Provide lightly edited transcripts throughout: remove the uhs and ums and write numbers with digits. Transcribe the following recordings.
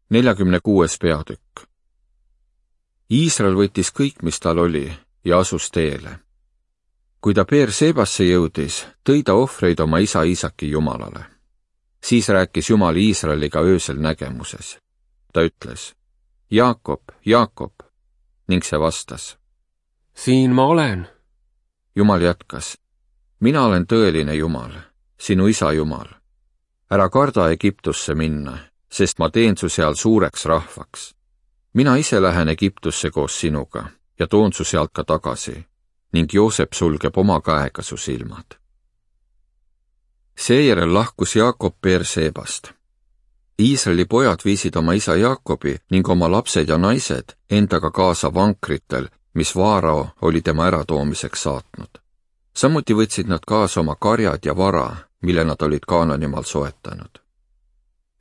46. peatükk. Iisrael võttis kõik, mis tal oli, ja asus teele. Kui ta Beersebasse jõudis, tõi ta ohvreid oma isa Iisaki Jumalale. Siis rääkis Jumal Iisraeliga öösel nägemuses. Ta ütles, Jaakob, Jaakob, ning see vastas, siin ma olen. Jumal jätkas, mina olen tõeline Jumal, sinu isa Jumal. Ära karda Egiptusse minna, sest ma teen su seal suureks rahvaks. Mina ise lähen Egiptusse koos sinuga ja toon su sealt ka tagasi, ning Joosep sulgeb oma käega su silmad. Seejärel lahkus Jaakob Beersebast. Iisraeli pojad viisid oma isa Jaakobi ning oma lapsed ja naised endaga kaasa vankritel, mis Vaarao oli tema äratoomiseks saatnud. Samuti võtsid nad kaasa oma karjad ja vara, mille nad olid Kaananimaal soetanud.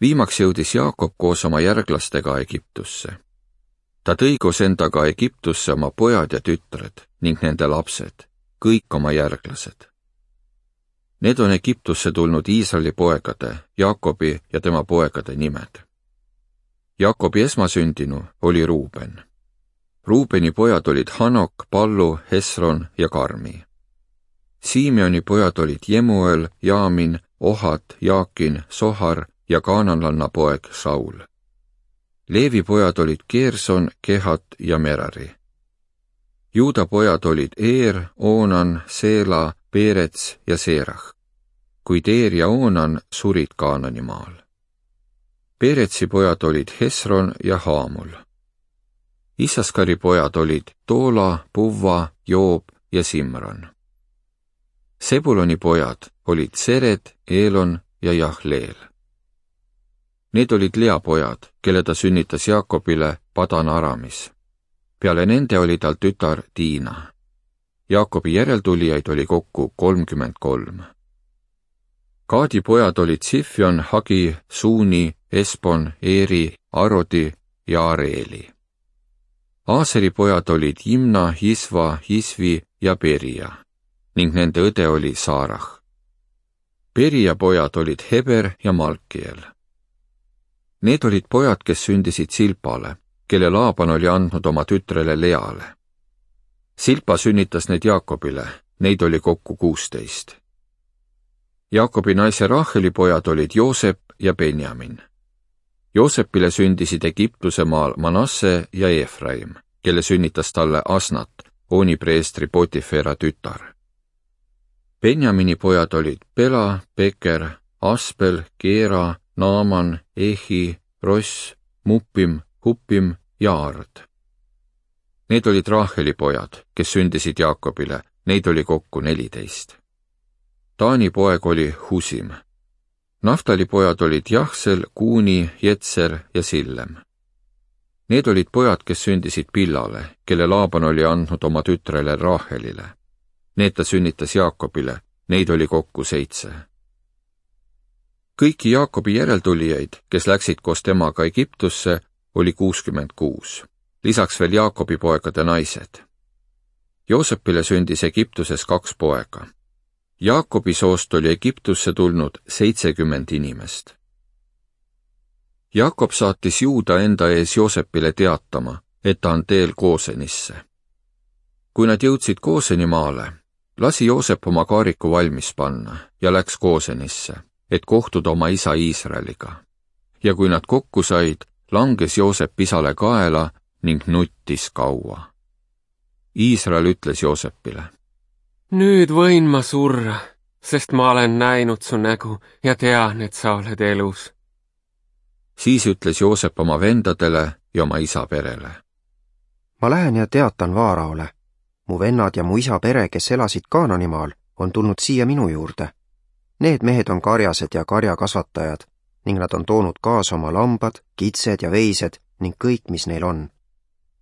Viimaks jõudis Jaakob koos oma järglastega Egiptusse. Ta tõi koos endaga Egiptusse oma pojad ja tütred ning nende lapsed, kõik oma järglased. Need on Egiptusse tulnud Iisraeli poegade, Jaakobi ja tema poegade nimed. Jaakobi esmasündinu oli Ruuben. Ruubeni pojad olid Hanok, Pallu, Hesron ja Karmi. Simeoni pojad olid Jemuel, Jaamin, Ohad, Jaakin, Sohar ja kaananlanna poeg Saul. Leevi pojad olid Gerson, Kehat ja Merari. Juuda pojad olid Eer, Oonan, Seela, Peerets ja Seerah, kuid Eer ja Oonan surid Kaananimaal. Peeretsi pojad olid Hesron ja Haamul. Isaskari pojad olid Toola, Puvva, Joob ja Simran. Sebuloni pojad olid Sered, Eelon ja Jahleel. Need olid Lea pojad, kelle ta sünnitas Jaakobile Padan Aramis. Peale nende oli tal tütar Diina. Jaakobi järeltulijaid oli kokku 33. Gaadi pojad olid Sifjon, Hagi, Suuni, Espon, Eeri, Arodi ja Areeli. Aaseri pojad olid Jimna, Jisva, Jisvi ja Beria ning nende õde oli Saarah. Beria pojad olid Heber ja Malkiel. Need olid pojad, kes sündisid Silpale, kelle Laaban oli andnud oma tütrele Leale. Silpa sünnitas need Jaakobile, neid oli kokku 16. Jaakobi naise Raheli pojad olid Joosep ja Benjamin. Joosepile sündisid Egiptuse maal Manasse ja Efraim, kelle sünnitas talle Asnat, Ooni preestri Potifera tütar. Benjamini pojad olid Bela, Beker, Aspel, Geera, Naaman, Ehi, Ross, Muppim, Huppim ja Ard. Need olid Raheli pojad, kes sündisid Jaakobile, neid oli kokku 14. Taani poeg oli Husim. Naftali pojad olid Jahsel, Kuuni, Jetser ja Sillem. Need olid pojad, kes sündisid Pillale, kelle Laaban oli andnud oma tütrele Rahelile. Need ta sünnitas Jaakobile, neid oli kokku 7. Kõiki Jaakobi järeltulijaid, kes läksid koos temaga Egiptusse, oli 66, lisaks veel Jaakobi poegade naised. Joosepile sündis Egiptuses 2 poega. Jaakobi soost oli Egiptusse tulnud 70 inimest. Jaakob saatis Juuda enda ees Joosepile teatama, et ta on teel Goosenisse. Kui nad jõudsid Goosenimaale, lasi Joosep oma kaariku valmis panna ja läks Goosenisse, et kohtuda oma isa Iisraeliga. Ja kui nad kokku said, langes Joosep isale kaela ning nuttis kaua. Iisrael ütles Joosepile, nüüd võin ma surra, sest ma olen näinud su nägu ja tean, et sa oled elus. Siis ütles Joosep oma vendadele ja oma isa perele. Ma lähen ja teatan Vaaraole. Mu vennad ja mu isa pere, kes elasid Kaananimaal, on tulnud siia minu juurde. Need mehed on karjased ja karjakasvatajad ning nad on toonud kaasa oma lambad, kitsed ja veised ning kõik, mis neil on.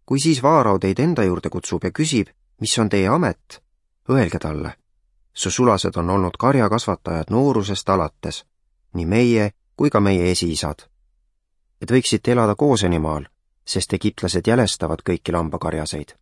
Kui siis Vaarao teid enda juurde kutsub ja küsib, mis on teie amet, öelge talle. Su sulased on olnud karjakasvatajad noorusest alates, nii meie kui ka meie esiisad. Et võiksite elada Goosenimaal, sest egiptlased jälestavad kõiki lambakarjaseid.